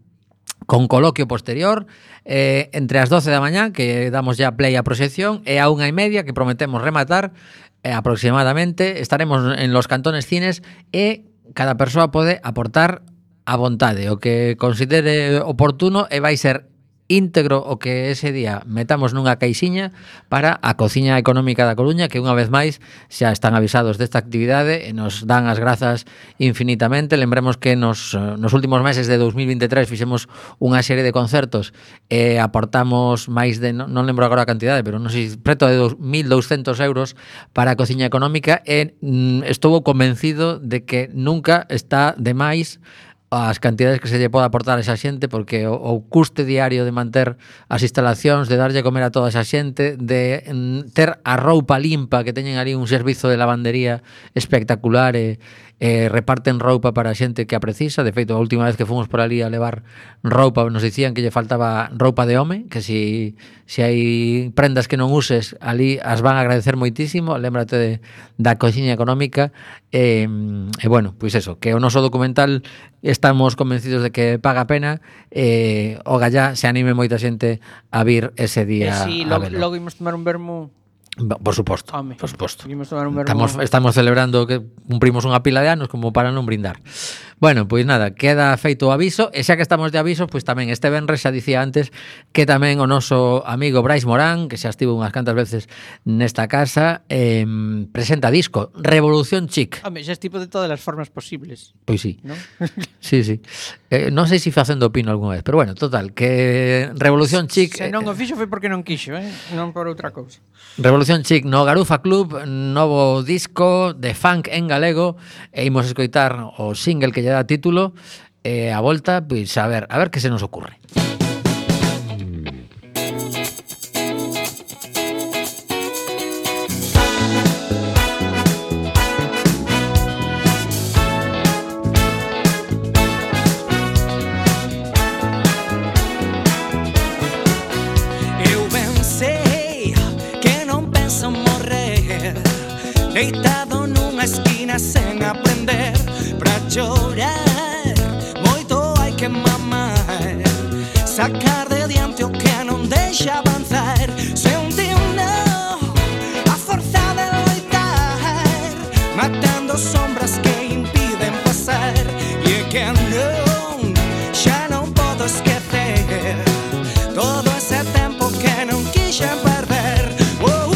con coloquio posterior, eh, entre as doce da mañá, que damos ya play a proxección, e a unha e media, que prometemos rematar, eh, aproximadamente, estaremos en los cantones cines, e cada persoa pode aportar a vontade, o que considere oportuno, e vai ser íntegro o que ese día metamos nunha caixiña para a Cociña Económica da Coruña, que unha vez máis xa están avisados desta actividade e nos dan as grazas infinitamente. Lembremos que nos, nos últimos meses de dos mil veintitrés fixemos unha serie de concertos e aportamos máis de, non, non lembro agora a cantidade, pero non sei, preto de mil douscentos euros para a Cociña Económica, e mm, estou convencido de que nunca está de máis as cantidades que se lle pode aportar a esa xente, porque o, o custe diario de manter as instalacións, de darlle a comer a toda esa xente, de mm, ter a roupa limpa, que teñen ali un servizo de lavandería espectacular e, e reparten roupa para a xente que a precisa. De feito, a última vez que fomos por ali a levar roupa, nos dicían que lle faltaba roupa de home, que si, si hai prendas que non uses ali as van a agradecer moitísimo. Lémbrate de, da Cociña Económica. E, e bueno, pois eso, que o noso documental estamos convencidos de que paga a pena, e o gallá se anime moita xente a vir ese día. E si, a logo, velo. logo imos tomar un vermú. Por suposto, Home, por suposto. imos tomar un vermú. Estamos, estamos celebrando que cumprimos unha pila de anos como para non brindar. Bueno, pois nada, queda feito o aviso, e xa que estamos de aviso, pois tamén este venres xa dicía antes que tamén o noso amigo Brais Morán, que xa estivo unhas cantas veces nesta casa, eh, presenta disco Revolución Chic. Home, xa estivo de todas as formas posibles. Pois sí, ¿no? sí, sí. Eh, non sei se facendo pino algunha vez, pero bueno, total, que Revolución Chic... Se non o fixo foi porque non quixo, eh? Non por outra cousa. Revolución Chic no Garufa Club, novo disco de funk en galego, e imos escoitar o single que lle dá título, e a volta, pois a ver, a ver que se nos ocurre. Eu pensei que non penso morrer, deitado nunha esquina sen aprender, pra chorar moito hai que mamar, sacar de diante o que non deixa avanzar, sentindo a forza de loitar, matando sombras que impiden pasar, e é que non, xa non podo esquecer todo ese tempo que non quixen perder. Oh,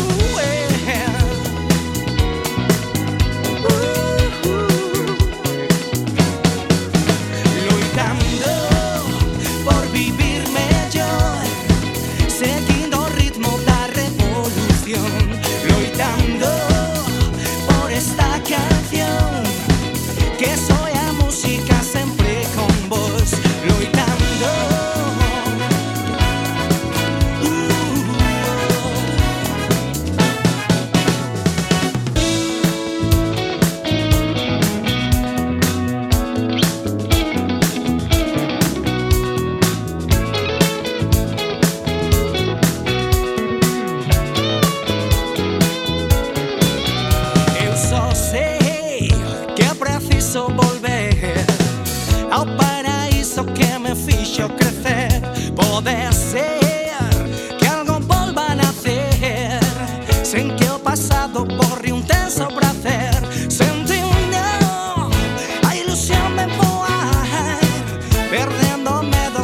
yeah. Loitando por vivir mellor, seguindo o ritmo da revolución, loitando por esta canción, que soy a música sempre con vos, loitando. Eu só sei que é preciso volver ao paraíso que me fixo crecer. Pode ser que algo volva a nacer, sen que o pasado borre un tenso prazer, sentindo a ilusión de voar, perdendo medo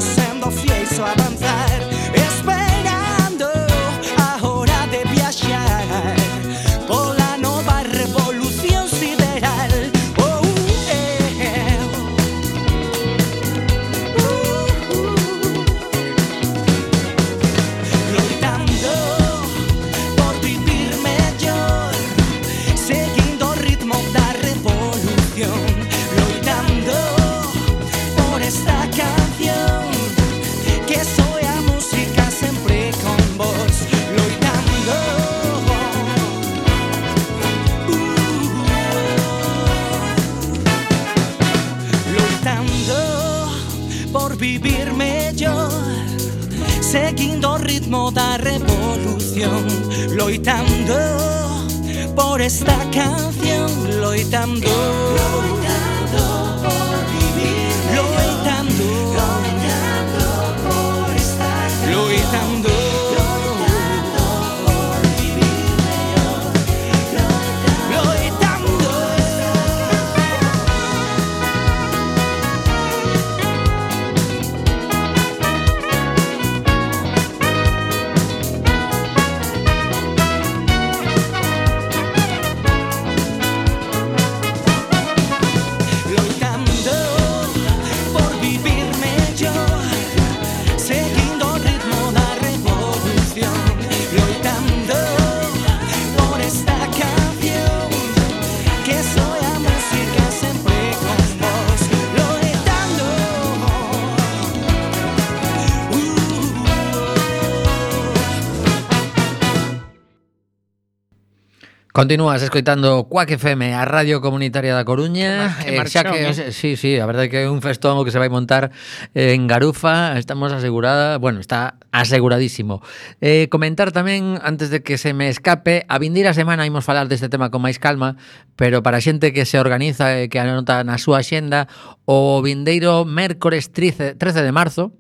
por vivir mellor, seguindo o ritmo da revolución, loitando por esta canción, loitando, loitando por vivir mellor, loitando, loitando por esta canción, loitando. Continúas escoitando Quack F M, a Radio Comunitaria da Coruña. Que eh, xa que, marchón, eh? sí, sí, a verdade que é un festón o que se vai montar en Garufa. Estamos asegurada, bueno, está aseguradísimo. Eh, comentar tamén, antes de que se me escape, a vindeira semana imos falar deste tema con máis calma, pero para a xente que se organiza e que anota na súa xenda, o vindeiro mércores trece de marzo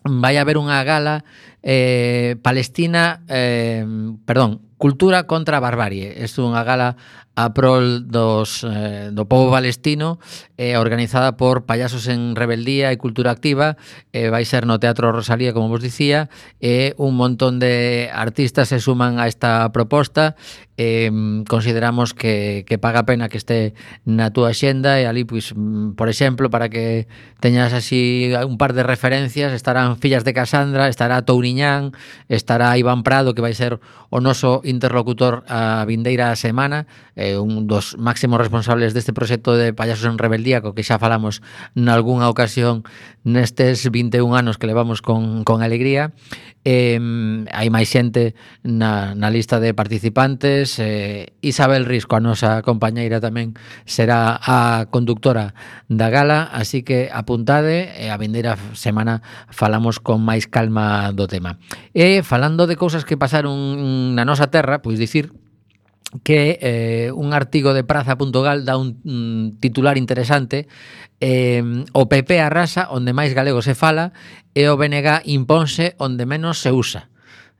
vai haber unha gala eh, palestina, eh, perdón, Cultura contra a Barbarie. É unha gala a prol dos, eh, do povo palestino, eh, organizada por Payasos en Rebeldía e Cultura Activa. Eh, vai ser no Teatro Rosalía, como vos dicía, e eh, un montón de artistas se suman a esta proposta. Eh, consideramos que, que paga a pena que este na túa xenda, e ali, pois, por exemplo, para que teñas así un par de referencias, estarán Fillas de Casandra, estará Touriñán, estará Iván Prado, que vai ser o noso interlocutor a vindeira semana, eh, un dos máximos responsables deste proxecto de Payasos en Rebeldía, co que xa falamos nalgúnha ocasión nestes vinte e un anos que levamos con, con alegría. Eh, hai máis xente na, na lista de participantes. eh, Isabel Risco, a nosa compañeira, tamén será a conductora da gala, así que apuntade, e a vindeira semana falamos con máis calma do tema. E falando de cousas que pasaron na nosa terra, pois dicir que eh, un artigo de praza punto gal dá un, un titular interesante. eh, O P P arrasa onde máis galego se fala e o B N G imponse onde menos se usa.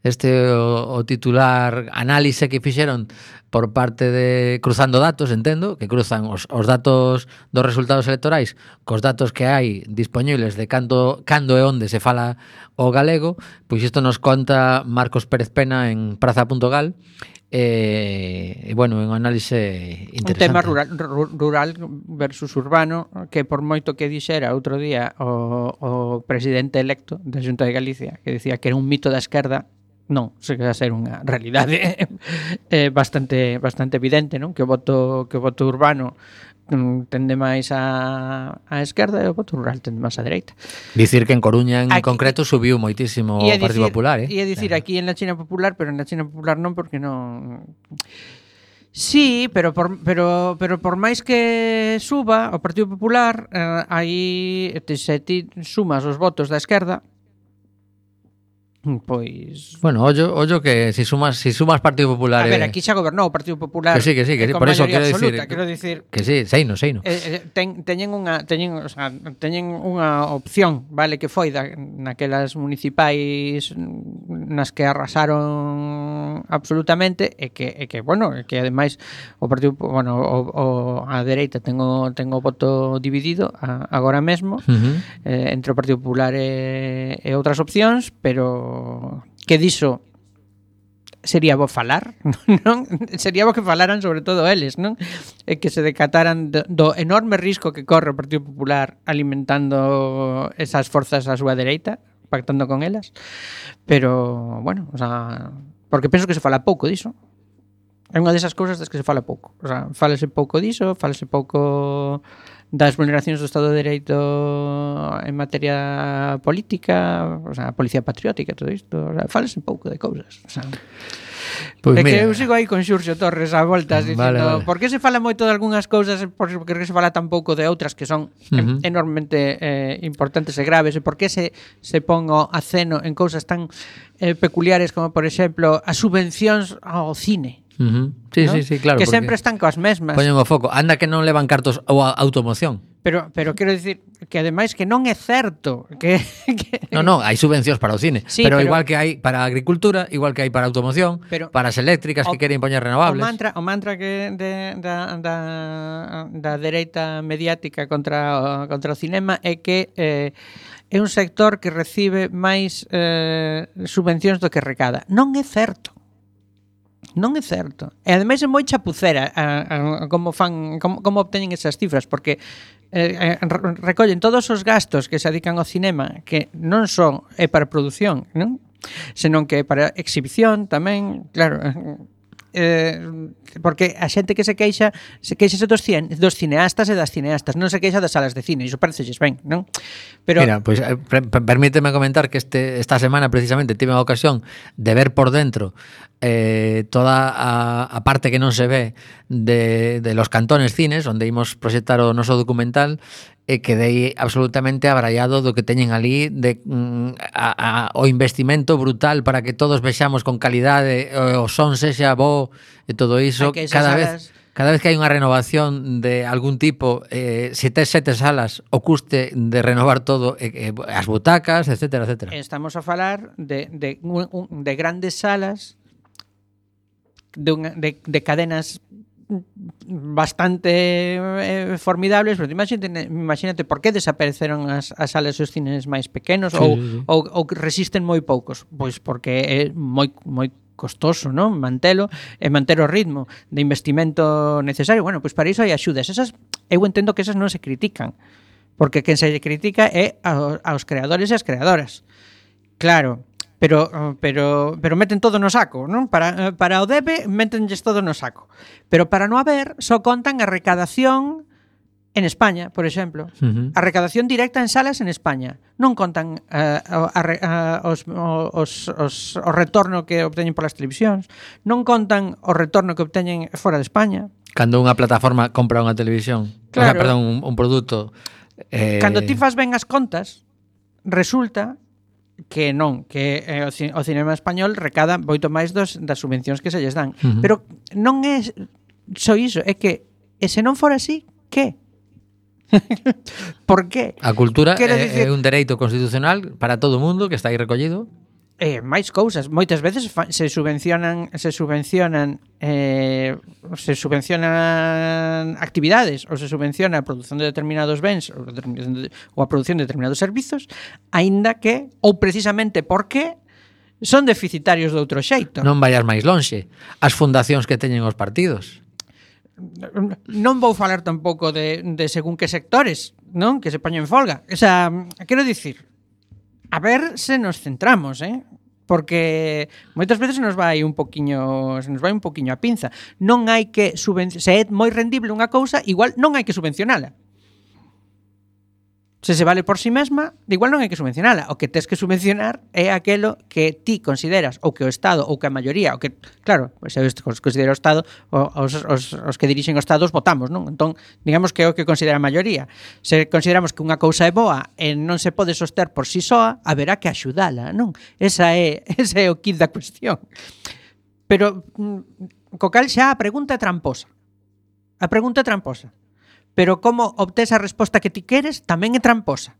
Este o, o titular análise que fixeron por parte de cruzando datos, entendo, que cruzan os, os datos dos resultados electorais cos datos que hai disponibles de cando, cando e onde se fala o galego. Pois isto nos conta Marcos Pérez Pena en praza punto gal. E, eh, bueno, un análise interesante. Un tema rural, rural versus urbano, que por moito que dixera outro día o, o presidente electo da Xunta de Galicia, que decía que era un mito da esquerda, non, se queda a ser unha realidade eh, bastante bastante evidente, non? Que o voto que o voto urbano tende máis a, a esquerda e o voto rural tende máis a dereita. Dicir que en Coruña en aquí, concreto subiu moitísimo o Partido Popular, eh? E dicir aquí en la China Popular, pero en la China Popular non, porque non. Sí, pero por pero pero por máis que suba o Partido Popular, eh, aí se ti sumas os votos da esquerda, pois... Bueno, ollo, ollo que si sumas si sumas Partido Popular... A ver, eh... aquí xa gobernou o Partido Popular... Que sí, que sí, que sí. Por eso quero dicir... Quero dicir... Que sí, seino, seino. Eh, eh, ten, teñen unha teñen, o sea, teñen unha opción, vale, que foi da, naquelas municipais nas que arrasaron absolutamente, e que, e que bueno, e que ademais o Partido, bueno, o, o, a dereita ten o, ten o voto dividido a, agora mesmo, Uh-huh. eh, entre o Partido Popular e, e outras opcións, pero que diso sería bo falar, non? Sería bo que falaran sobre todo eles, non? E que se decataran do, do enorme risco que corre o Partido Popular alimentando esas forzas á súa dereita, pactando con elas. Pero, bueno, o sea, porque penso que se fala pouco diso. É unha desas cousas das que se fala pouco. O sea, fálase pouco diso, fálase pouco das vulneracións do Estado de Dereito en materia política, o sea, a policía patriótica, todo isto, o sea, fálase pouco de cousas, o sea. Pois é que mira. eu sigo aí con Xurxo Torres a voltas dicindo, Vale, vale. por que se fala moito de algunhas cousas e por que se fala tan pouco de outras que son Ujú. uh -huh. enormemente eh, importantes e graves, e por que se, se pon o aceno en cousas tan eh, peculiares como, por exemplo, as subvencións ao cine. Uh-huh. Sí, ¿no? sí, sí, claro. Que sempre están coas mesmas. Poñen o foco. Anda que non levan cartos ou a automoción. Pero, pero quero dicir que ademais que non é certo que, que... No, no, hai subvencións para o cine, Sí, pero, pero- igual que hai para a agricultura, igual que hai para a automoción, Pero- para as eléctricas O- que queren poñer O renovables. mantra, o mantra que de, da, da, da dereita mediática contra o, contra o cinema é que eh, é un sector que recibe máis eh, subvencións do que recada. Non é certo. Non é certo. E ademais é moi chapucera a, a, como fan como, como obteñen esas cifras, porque eh, re- recollen todos os gastos que se dedican ao cinema, que non son é para produción, non? Senón que é para exhibición tamén, claro. Eh, porque a xente que se queixa se queixa dos, cien, dos cineastas e das cineastas, non se queixa das salas de cine, iso parecelles ben, non? Pero Mira, pues eh, per- per- permíteme comentar que este esta semana precisamente tive a ocasión de ver por dentro eh, toda a, a parte que non se ve de, de los cantones cines onde imos proxectar o noso documental, e quedei absolutamente abraiado do que teñen ali de mm, a, a, o investimento brutal para que todos vexamos con calidade, o, o son sexa bo e todo iso. Hai que esas Cada salas- vez Cada vez que hai unha renovación de algún tipo, eh, se tes sete salas, o custe de renovar todo, eh, eh, as butacas, etcétera, etcétera. estamos a falar de, de, un- un- de grandes salas de, unha, de, de cadenas bastante eh, formidables, pero imagínate, imagínate por que desapareceron as, as salas dos cines máis pequenos Sí, ou, sí, sí. ou, ou que resisten moi poucos. Pois porque é moi moi costoso, non? Mantelo e manter o ritmo de investimento necesario. Bueno, pois para iso hai axudas. Esas eu entendo que esas non se critican, porque quen se lle critica é ao, aos creadores e as creadoras. Claro, pero pero pero meten todo no saco, non? Para para o debe métenlles todo no saco. Pero para non haber, só contan a recadación en España, por exemplo. Uh-huh. A recadación directa en salas en España. Non contan uh, a, a, a, os, os, os, o retorno que obteñen polas televisións. Non contan o retorno que obteñen fora de España. Cando unha plataforma compra unha televisión, Claro. o sea, perdón, un, un produto, eh, Cando ti fas ben as contas, resulta que non, que eh, o, ci- o cinema español recada moito máis dos, das subvencións que se lles dan. Ujú. Pero non é só iso, é que e se non fora así, que? Por que? a cultura Quero é, dicir- é un dereito constitucional para todo o mundo que está aí recollido. Eh, máis cousas, moitas veces fa, se subvencionan se subvencionan eh, se subvencionan actividades ou se subvenciona a produción de determinados bens ou, determin- ou a produción de determinados servizos, aínda que ou precisamente porque son deficitarios de outro xeito. Non vayas máis lonxe. As fundacións que teñen os partidos. Non vou falar tampouco de, de según que sectores, non? Que se poñen en folga. O sea, quero dicir, a ver se nos centramos, eh? Porque moitas veces nos vai un poquiño, se nos vai un poquiño a pinza. Non hai que subvencionar, se é moi rendible unha cousa, igual non hai que subvencionala. Se se vale por si mesma, igual non hai que subvencionala. O que tes que subvencionar é aquelo que ti consideras, ou que o Estado, ou que a maioría, ou que, claro, pois se considera o Estado, os, os, os que dirixen o Estado os votamos, non? Entón, digamos que é o que considera a maioría. Se consideramos que unha cousa é boa e non se pode soster por si soa, haberá que axudala, non? Esa é, ese é o kit da cuestión. Pero, mm, co cal xa a pregunta é tramposa. A pregunta é tramposa. Pero como obtés a resposta que ti queres tamén é tramposa.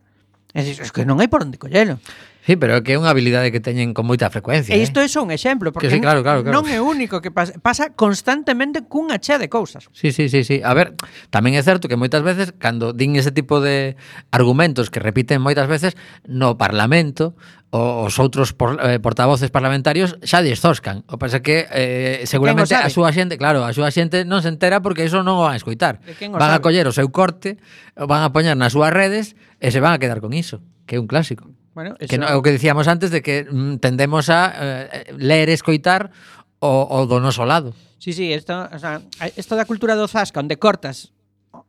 É dicir, es que non hai por onde collelo. Sí, pero é que é unha habilidade que teñen con moita frecuencia. E isto é só un exemplo, porque Que sí, claro, claro, claro. non é único que pasa, pasa constantemente cunha chea de cousas. Sí, sí, sí, sí. A ver, tamén é certo que moitas veces cando din ese tipo de argumentos que repiten moitas veces no Parlamento, o- os outros por, eh, portavoces parlamentarios xa destoscan. O pasa que eh, seguramente sabe? a súa xente, claro, a súa xente non se entera porque iso non o van a escoitar. De quen o Van a sabe? coller o seu corte, o van a poñer nas súas redes e se van a quedar con iso, que é un clásico. Bueno, Que no, é o que dicíamos antes de que mm, tendemos a eh, ler e escoitar o, o do noso lado. Sí, sí, esto, o sea, esto da cultura do zasca, onde cortas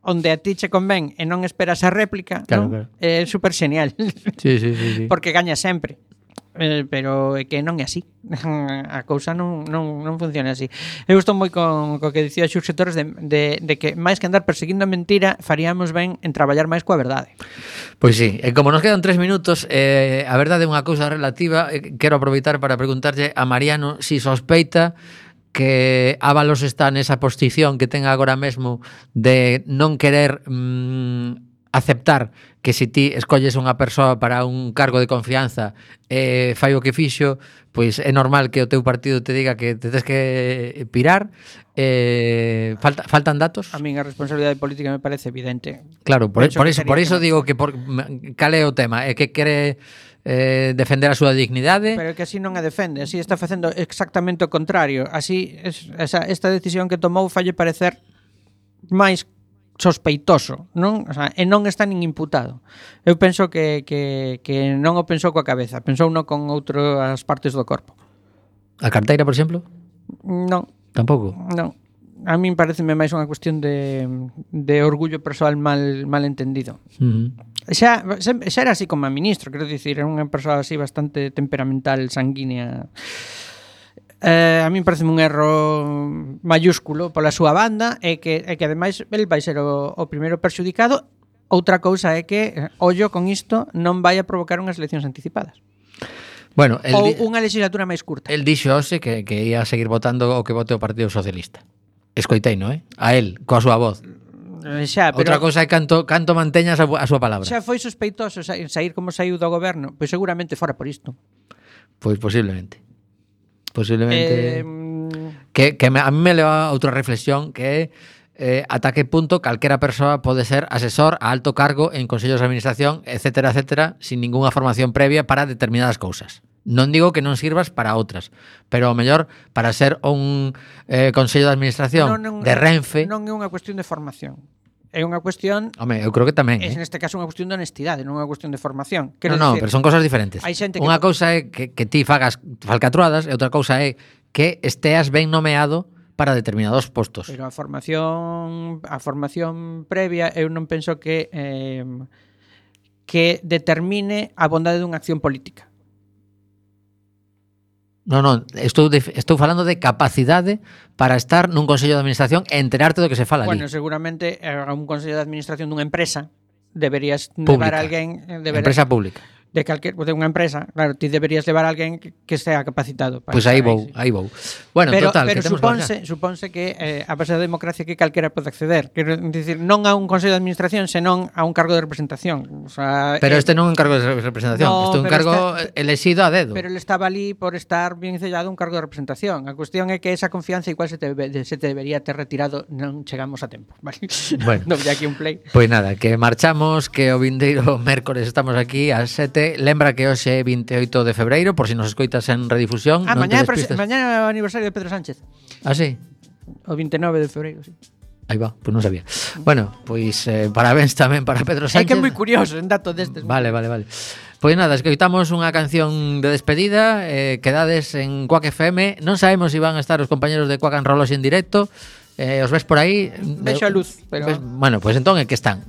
onde a ti che convén e non esperas a réplica, Claro, non? claro. É super genial. Sí, sí, sí, sí. Porque gaña sempre. eh, pero é que non é así. A cousa non, non, non funciona así. Eu estou moi con co que dicía Xurxo Torres de, de, de que máis que andar perseguindo a mentira faríamos ben en traballar máis coa verdade. Pois sí, e como nos quedan tres minutos, eh, a verdade é unha cousa relativa. eh, Quero aproveitar para preguntarlle a Mariano si sospeita que Ábalos está nesa posición que ten agora mesmo de non querer mmm, aceptar que se ti escolles unha persoa para un cargo de confianza e eh, fai o que fixo, pois é normal que o teu partido te diga que te tens que pirar. eh, falta, faltan datos? A min a responsabilidade política me parece evidente. Claro, por, Penso por que iso, sería por iso que digo que por, cal é o tema, é que quere eh, defender a súa dignidade. Pero que así non a defende, así está facendo exactamente o contrario. Así, es, esa, esta decisión que tomou falle parecer máis sospeitoso, non? O sea, e non está nin imputado. Eu penso que, que, que non o pensou coa cabeza, pensou non con outras partes do corpo. A carteira, por exemplo? Non, Tampouco. non. A min pareceme máis unha cuestión de, de orgullo persoal mal, mal entendido. Uh-huh. Xa, xa era así como a ministro, quero dicir, era unha persoa así bastante temperamental, sanguínea. Eh, a min parece un erro mayúsculo pola súa banda e que, e que ademais el vai ser o, o primeiro perxudicado. Outra cousa é que, ollo con isto, non vai a provocar unhas eleccións anticipadas. Bueno, el Ou di- unha legislatura máis curta. el dixo hoxe que, que ia seguir votando o que vote o Partido Socialista. Escoitei, non, eh? A él, coa súa voz. Eh, Xa, pero Outra cousa é canto, canto manteñas a, a súa palabra. xa foi sospeitoso sa- sair como saiu do goberno, pois seguramente fora por isto. Pois posiblemente. Posiblemente... Eh, Que, que me, a mí me leva a outra reflexión que é eh, ata que punto calquera persoa pode ser asesor a alto cargo en consellos de administración, etcétera, etcétera, sin ningunha formación previa para determinadas cousas. Non digo que non sirvas para outras, pero ao mellor para ser un eh, consello de administración non, non, de Renfe... non é unha cuestión de formación. É unha cuestión, Home, eu creo que tamén, é eh? neste caso unha cuestión de honestidade, non é unha cuestión de formación. No, Quero no, dicir, pero son cosas diferentes. hai xente que Unha to- cousa é que, que ti fagas falcatruadas e outra cousa é que esteas ben nomeado para determinados postos. Pero a formación a formación previa eu non penso que eh, que determine a bondade dunha acción política. Non, non, estou, de, estou falando de capacidade para estar nun consello de administración e enterarte do que se fala Bueno, ali. seguramente eh, a un consello de administración dunha empresa deberías Pública. levar a alguén eh, deberías, Empresa pública. de calquer de unha empresa, claro, ti deberías levar a alguén que, que sea capacitado para Pois pues aí estar vou, sí. aí vou. Bueno, pero, total, pero que temos supónse, que supónse que eh, a base da democracia que calquera pode acceder. Quero dicir, non a un consello de administración, senón a un cargo de representación. O sea, Pero eh, este non é un cargo de representación, No, este é un pero cargo este- elexido a dedo. Pero ele estaba ali por estar bien sellado un cargo de representación. A cuestión é que esa confianza igual se te, se te debería ter retirado, non chegamos a tempo, vale? Bueno. Non, de aquí un play. Pois nada, que marchamos, que o vindeiro mércores estamos aquí ás sete. Lembra que hoxe é vinte e oito de febreiro, por si nos escoitas en redifusión. Ah, non te mañá, prese- despistes. mañá é o aniversario de Pedro Sánchez. Ah, sí? O vinte e nove de febreiro, sí. Aí va, pois non sabía. Bueno, pois eh, parabéns tamén para Pedro É Sánchez. que é moi curioso en dato destes. Vale, vale, vale. Pois nada, escoitamos unha canción de despedida, eh, quedades en Quack F M. Non sabemos se si van a estar os compañeros de Quack and Roll en directo. Eh, os ves por aí? Vexo a luz, pero- Ves- Bueno, pois entón é que están.